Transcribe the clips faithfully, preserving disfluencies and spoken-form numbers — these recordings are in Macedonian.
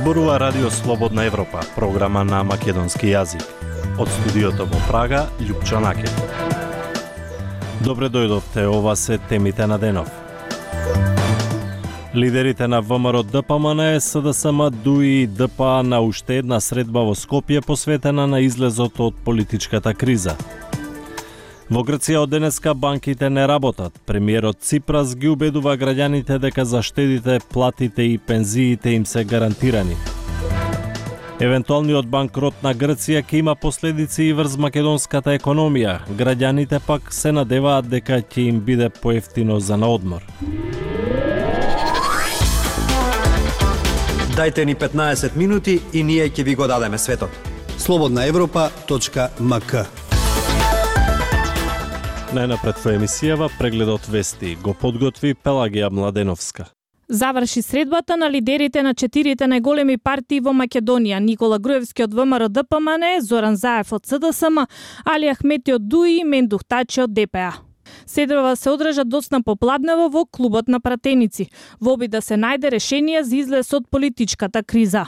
зборува Радио Слободна Европа, програма на македонски јазик. Од студиото во Прага, Љупчо Накев. Добре дојдовте, ова се темите на денов. Лидерите на ВМРО Д П М Н, С Д С М, Д У и Д П А на уште една средба во Скопје посветена на излезот од политичката криза. Во Грција од денеска банките не работат. Премиерот Ципрас ги убедува граѓаните дека заштедите, платите и пензиите им се гарантирани. Евентуалниот банкрот на Грција ќе има последици и врз македонската економија. Граѓаните пак се надеваат дека ќе им биде поевтино за на одмор. Дајте ни петнаесет минути и ние ќе ви го дадеме светот. слободна европа точка м к. Најнапред во емисијава прегледот вести го подготви Пелагија Младеновска. Заврши средбата на лидерите на четирите најголеми партии во Македонија: Никола Груевски од ВМРО Д П М Н, Зоран Заев од С Д С М, Али Ахмети од Д У и Мендух Тачи од Д П А. Седрва се одржа доцна попладнево во клубот на пратеници, во обид да се најде решение за излез од политичката криза.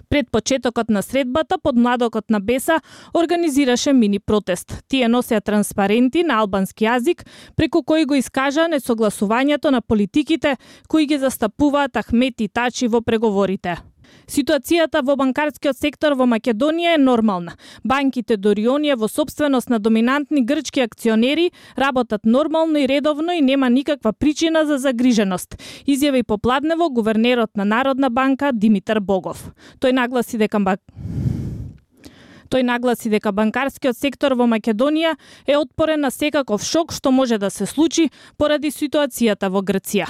Пред почетокот на средбата, подмладокот на Беса организираше мини протест. Тие носеа транспаренти на албански јазик, преку кои го искажаа несогласувањето на политиките кои ги застапуваат Ахмети и Тачи во преговорите. Ситуацијата во банкарскиот сектор во Македонија е нормална. Банките дури оние во сопственост на доминантни грчки акционери работат нормално и редовно и нема никаква причина за загриженост, изјави попладнево гувернерот на Народна банка Димитар Богов. Тој нагласи дека Тој нагласи дека банкарскиот сектор во Македонија е отпорен на секаков шок што може да се случи поради ситуацијата во Грција.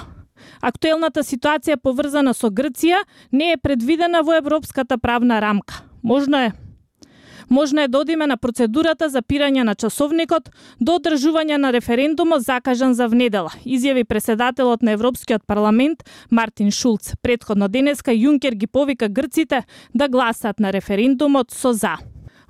Актуелната ситуација поврзана со Грција не е предвидена во европската правна рамка. Можно е Можно е да одиме на процедурата за пирање на часовникот до одржување на референдумот закажан за внедела, изјави преседателот на Европскиот парламент Мартин Шулц. Претходно денеска Јункер ги повика грците да гласат на референдумот со за.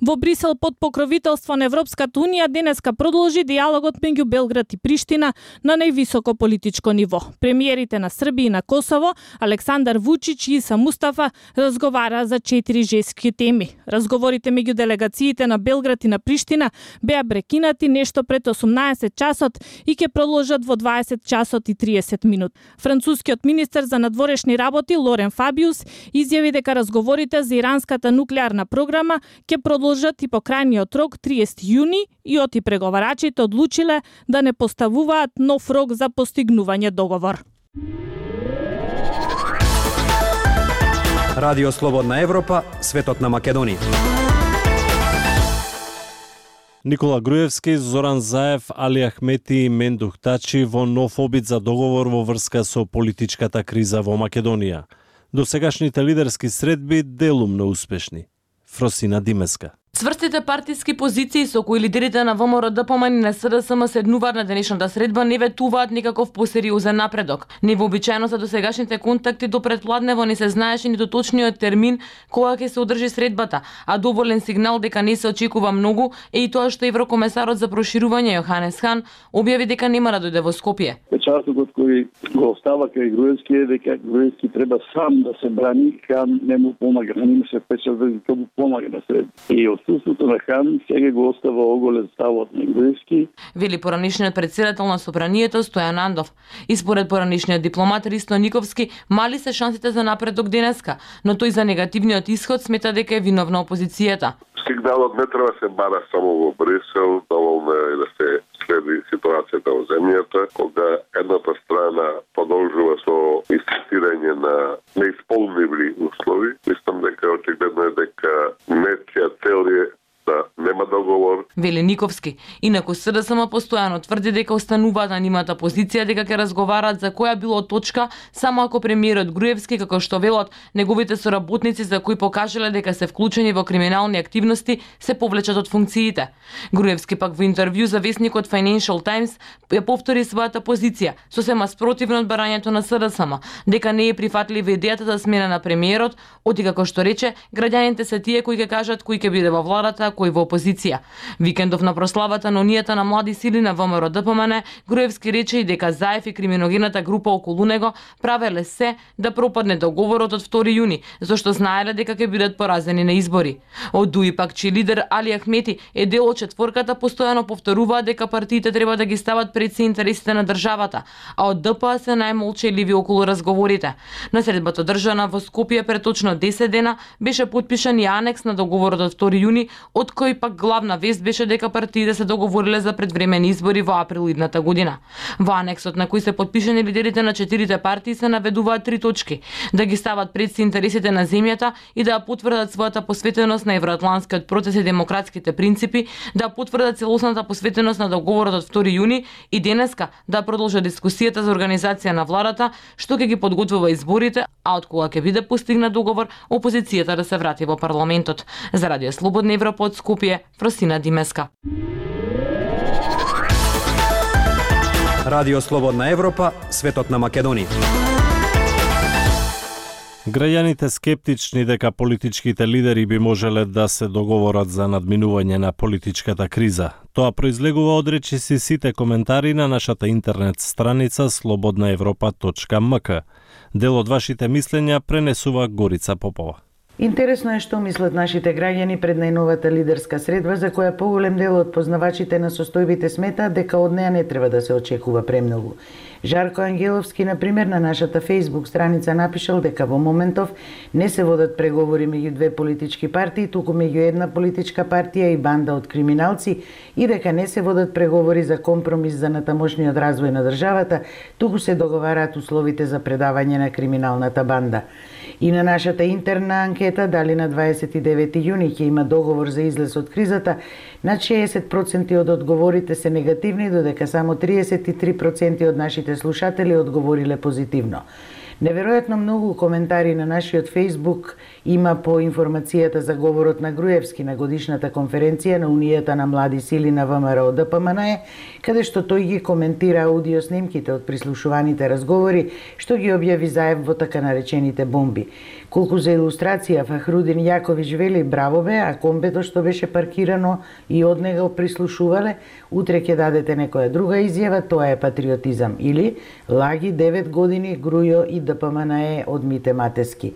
Во Брисел под покровителство на Европската унија денеска продолжи диалогот меѓу Белград и Приштина на највисоко политичко ниво. Премиерите на Србија и на Косово, Александар Вучич и Иса Мустафа, разговараа за четири жестоки теми. Разговорите меѓу делегациите на Белград и на Приштина беа прекинати нешто пред осумнаесет часот и ќе продолжат во дваесет часот и триесет минути. Францускиот министер за надворешни работи Лорен Фабиус изјави дека разговорите за иранската нуклеарна програма ќе продолжат и по крајниот рок триесети јуни и оти преговарачите одлучиле да не поставуваат нов рок за постигнување договор. Радио Слободна Европа, светот на Македонија. Никола Груевски, Зоран Заев, Али Ахмети и Мендух Тачи во нов обид за договор во врска со политичката криза во Македонија. Досегашните лидерски средби делумно успешни. Фросина Димеска. Цврстите партиски позиции со кои лидерите на ВМРО Д П М Н и на С Д С М седнуваат на денешната средба не ветуваат никаков посериозен напредок. Невообичаено за досегашните контакти до предпладнево не се знаеше ниту точниот термин кога ќе се одржи средбата, а доволен сигнал дека не се очекува многу е и тоа што еврокомесарот за проширување Јоханес Хан објави дека нема да дојде во Скопје. Печатокот кој го остава кај Груевски е дека Груевски треба сам да се брани, Хан не му помага, не му се печат дека му помага на средба. И отсутството на Хан сега го остава оголен ставот на Груевски. Вели поранишниот председател на Собранието Стојан Андов. И според поранишниот дипломат Ристо Никовски, мали се шансите за напредок денеска, но тој за негативниот исход смета дека е виновна опозицијата. Сигналот не треба се бара само во Брисел, доволно е да се следи ситуацијата во земјата, кога едната страна продолжува со инсистирање на неисполнливи услови. Мислам дека очигледно е дека нечија цел е да нема договор. Вели Никовски. Инаку С Д С М постојано тврди дека остануваат на нимата позиција дека ќе разговараат за која било точка само ако премиерот Груевски, како што велат неговите соработници за кои покажале дека се вклучени во криминални активности, се повлечат од функциите. Груевски пак во интервју за весникот Financial Times ја повтори својата позиција, сосема спротивно од барањето на С Д С М, дека не е прифатлива идејата за смена на премиерот, оти како што рече, граѓаните се тие кои ќе кажат кој ќе биде во владата, кој во опозиција. Вика викендов на прославата на Унијата на млади сили на ВМРО Д П М Н, Груевски рече и дека Заев и криминогената група околу него правеле се да пропадне договорот од втори јуни, зашто знаеле дека ќе бидат поразени на избори. Од Дуи пак че лидер Али Ахмети е дел од четворката, постојано повторуваат дека партиите треба да ги стават пред се интересите на државата, а од Д П А се најмолчеливи околу разговорите. На средбата одржана во Скопје пред точно десет дена беше потпишан и анекс на договорот од втори јуни, од кој пак главна вест беше дека партиите се договориле за предвремени избори во април идната година. Во анексот на кој се потпишани лидерите на четирите партии се наведуваат три точки: да ги стават пред се интересите на земјата и да ја потврдат својата посветеност на евроатлантскиот процес и демократските принципи, да потврдат целосната посветеност на договорот од втори јуни и денеска да продолжат дискусијата за организација на владата, што ќе ги подготвува изборите, а од кога ќе биде постигнат договор, опозицијата да се врати во парламентот. За Радио Слободна Европа од Скопје, Фросина Димеска. Радио Слободна Европа, светот на Македонија. Граѓаните скептични дека политичките лидери би можеле да се договорат за надминување на политичката криза. Тоа произлегува од речиси сите коментари на нашата интернет страница слободна европа точка ем ка. Дел од вашите мислења пренесува Горица Попова. Интересно е што мислат нашите граѓани пред најновата лидерска средба, за која поголем дел од познавачите на состојбите сметаат дека од неа не треба да се очекува премногу. Жарко Ангеловски, например, на нашата Facebook страница напишал дека во моментов не се водат преговори меѓу две политички партии, туку меѓу една политичка партија и банда од криминалци, и дека не се водат преговори за компромис за натамошниот развој на државата, туку се договараат условите за предавање на криминалната банда. И на нашата интерна анкета дали на дваесет и девети јуни ќе има договор за излез од кризата, над шеесет проценти од одговорите се негативни, додека само триесет и три проценти од нашите слушатели одговориле позитивно. Неверојатно многу коментари на нашиот Facebook има по информацијата за говорот на Груевски на годишната конференција на Унијата на млади сили на ВМРО Д П М Н, каде што тој ги коментира аудио снимките од прислушуваните разговори, што ги објави Заев во така наречените бомби. Колку за илустрација, Фахрудин Јаковиќ вели: браво бе, а комбето што беше паркирано и од него прислушувале, утре ќе дадете некоја друга изјава, тоа е патриотизам. Или лаги девет години Грујо и Д П М Н е од Мите Матески.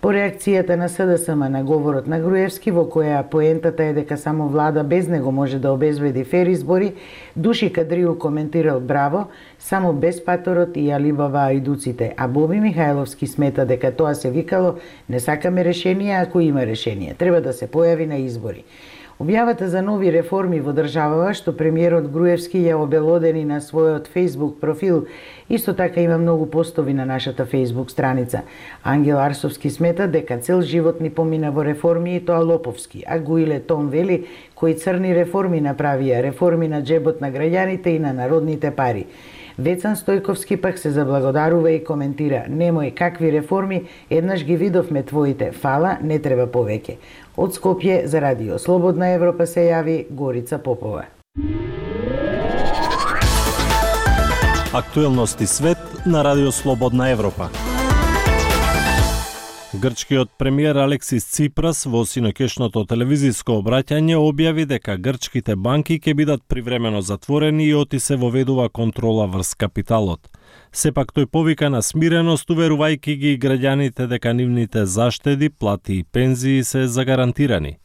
По реакцијата на С Д С М на говорот на Груевски, во која поентата е дека само влада без него може да обезбеди фер избори, Души Кадриу коментирал: браво, само без паторот и Алибаба ајдуците, а Боби Михајловски смета дека тоа се викало: не сакаме решение ако има решение, треба да се појави на избори. Објавата за нови реформи во државава, што премиерот Груевски ја обелодени на својот Facebook профил, исто така има многу постови на нашата Facebook страница. Ангел Арсовски смета дека цел живот ни помина во реформи и тоа лоповски, а Гуиле Том вели: кои црни реформи направија, реформи на джебот на граѓаните и на народните пари. Вецан Стојковски пак се заблагодарува и коментира: немој, какви реформи, еднаш ги видовме твоите, фала, не треба повеќе. Од Скопје за Радио Слободна Европа се јави Горица Попова. Актуелности свет на Радио Слободна Европа. Грчкиот премиер Алексис Ципрас во синоќешното телевизиско обраќање објави дека грчките банки ќе бидат привремено затворени и оти се воведува контрола врз капиталот. Сепак тој повика на смиреност, уверувајќи ги граѓаните дека нивните заштеди, плати и пензии се загарантирани.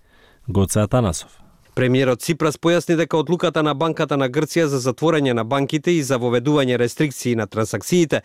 Гоце Атанасов. Премиерот Ципрас појасни дека одлуката на Банката на Грција за затворање на банките и за воведување рестрикции на трансакциите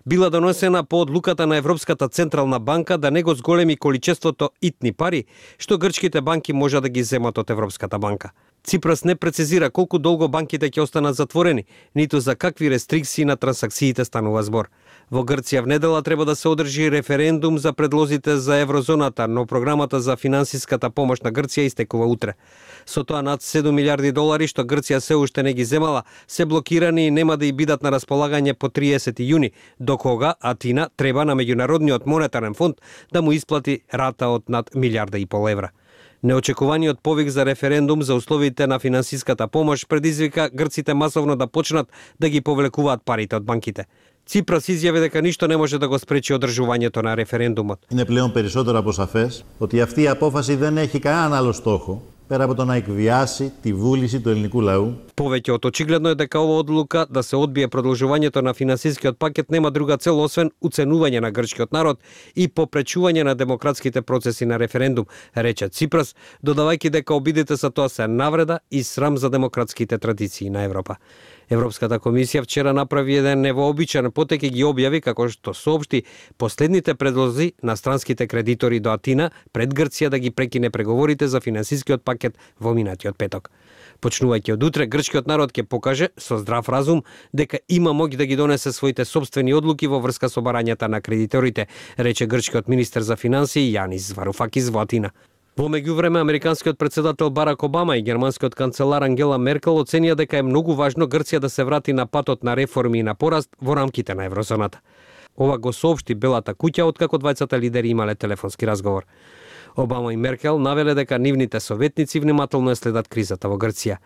била донесена по одлуката на Европската централна банка да не го зголеми количеството итни пари што грчките банки може да ги земат од Европската банка. Ципрас не прецизира колку долго банките ќе останат затворени, ниту за какви рестрикции на трансакциите станува збор. Во Грција в недела треба да се одржи референдум за предлозите за еврозоната, но програмата за финансиската помош на Грција истекува утре. Со тоа над седум милиарди долари што Грција се уште не ги земала, се блокирани и нема да и бидат на располагање по триесети јуни, до кога Атина треба на Меѓународниот монетарен фонд да му исплати рата од над милиарда и пол евра. Неочекуваниот повик за референдум за условите на финансиската помош предизвика грците масовно да почнат да ги повлекуваат парите од банките. Ципрас изјави дека ништо не може да го спречи одржувањето на референдумот. Είναι πλέον περισσότερο από σαφές ότι αυτή η απόφαση δεν έχει κανέναν άλλο στόχο πέρα από το να εκβιάσει τη βούληση του ελληνικού λαού. Повеќе од очигледно е дека ова одлука да се одбие продолжувањето на финансискиот пакет нема друга цел освен уценување на грчкиот народ и попречување на демократските процеси на референдум, рече Ципрас, додавајќи дека обидите со тоа се навреда и срам за демократските традиции на Европа. Европската комисија вчера направи еден невообичаен потек и ги објави како што соопшти последните предлози на странските кредитори до Атина пред Грција да ги прекине преговорите за финансискиот пакет во минатиот петок. Почнувајќи од утре, грчкиот народ ќе покаже со здрав разум дека има моќ да ги донесе своите собствени одлуки во врска со барањата на кредиторите, рече грчкиот министер за финансии Јанис Варуфакис во Атина. Во меѓувреме, американскиот председател Барак Обама и германскиот канцелар Ангела Меркел оценија дека е многу важно Грција да се врати на патот на реформи и на пораст во рамките на еврозоната. Ова го соопшти Белата куќа откако двајцата лидери имале телефонски разговор. Обама и Меркел навеле дека нивните советници внимателно следат кризата во Грција.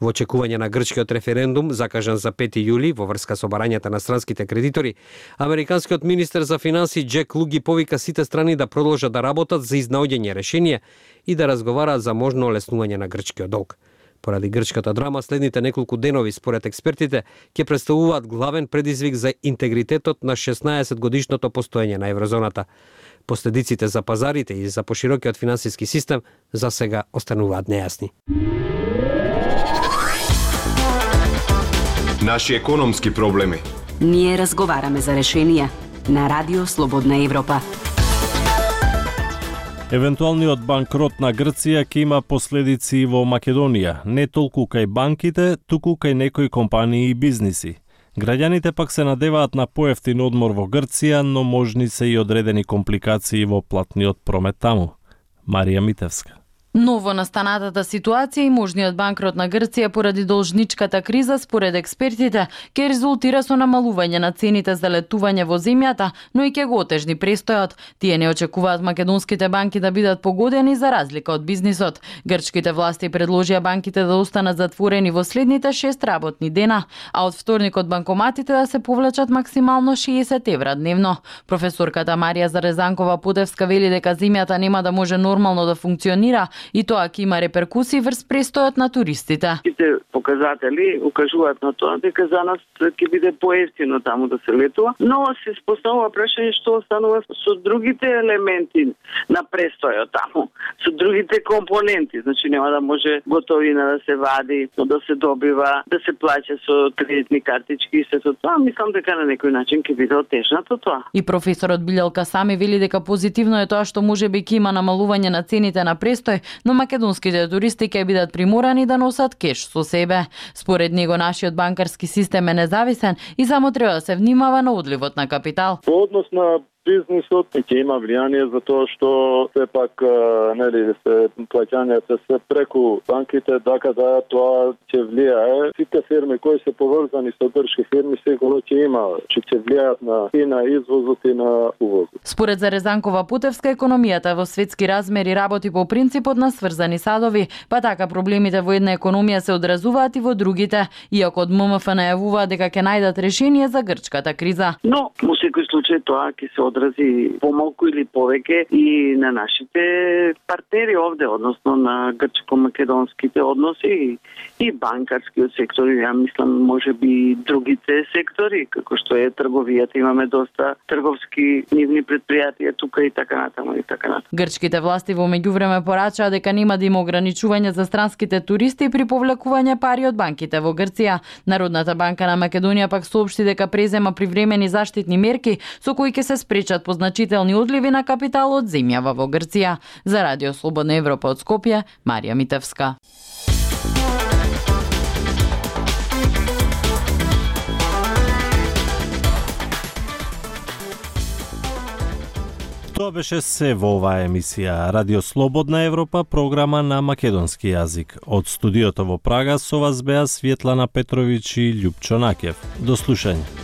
Во очекување на грчкиот референдум, закажан за пети јули во врска со барањата на странските кредитори, американскиот министер за финансии Џек Лу ги повика сите страни да продолжат да работат за изнаоѓање решение и да разговараат за можно олеснување на грчкиот долг. Поради грчката драма, следните неколку денови, според експертите, ќе представуваат главен предизвик за интегритетот на шеснаесет годишното постоење на еврозоната. Последиците за пазарите и за поширокиот финансиски систем за сега остануваат нејасни. Наши економски проблеми. Ние разговараме за решенија на Радио Слободна Европа. Евентуалниот банкрот на Грција ќе има последици и во Македонија, не толку кај банките, туку кај некои компании и бизниси. Граѓаните пак се надеваат на поевтин одмор во Грција, но можни се и одредени компликации во платниот промет таму. Марија Митевска. Ново настанатата ситуација и можниот банкрот на Грција поради должничката криза, според експертите, ќе резултира со намалување на цените за летување во земјата, но и ќе го отежни престојот. Тие не очекуваат македонските банки да бидат погодени за разлика од бизнисот. Грчките власти предложија банките да останат затворени во следните шест работни дена, а од вторник од банкоматите да се повлечат максимално шеесет евра дневно. Професорката Марија Зарезанкова-Потевска вели дека земјата нема да може нормално да функционира, и тоа ќе има реперкусии врз престојот на туристите. Сите показатели укажуваат на тоа дека за нас ќе биде поевтино таму да се летува, но се поставува прашање што останува со другите елементи на престојот таму, со другите компоненти, значи нема да може готовина да се вади, да се добива, да се плаќа со кредитни картички и се со тоа. Мислам дека на некој начин ќе биде отежнато тоа. И професорот Билјалка Сами вели дека позитивно е тоа што можеби ќе има намалување на цените на престој, но македонските туристи ќе бидат приморани да носат кеш со себе. Според него нашиот банкарски систем е независен и само треба да се внимава на одливот на капитал. По однос на бизнисот ќе има влијание за тоа што сепак нели се плаќањата се преку банките, дека да тоа ќе влијае. Сите фирми кои се поврзани со грчки фирми сигурно ќе има, че ќе влијаат на и на извозот и на увозот. Според Зарезанкова-Потевска, економијата во светски размери работи по принципот на сврзани садови, па така проблемите во една економија се одразуваат и во другите, иако од М М Ф најавува дека ќе најдат решение за грчката криза. Но во секој случај тоа ќе се одрази помалку или повеќе и на нашите партнери овде, односно на грчко-македонските односи и банкарскиот сектор, ја мислам можеби и другите сектори, како што е трговијата, имаме доста трговски нивни предпријатија тука и така натаму и така натаму. Грчките власти во меѓувреме порачаа дека нема да има ограничување за странските туристи при повлекување пари од банките во Грција. Народната банка на Македонија пак соопшти дека презема привремени заштитни мерки со кои ќе се спречат позначителни одливи на капитал од земјава во Грција. За Радио Слободна Европа од Скопје, Марија Митевска. Тоа беше се во оваа емисија Радио Слободна Европа, програма на македонски јазик. Од студиото во Прага со вас беа Светлана Петровиќ и Љупчо Накев. До слушање.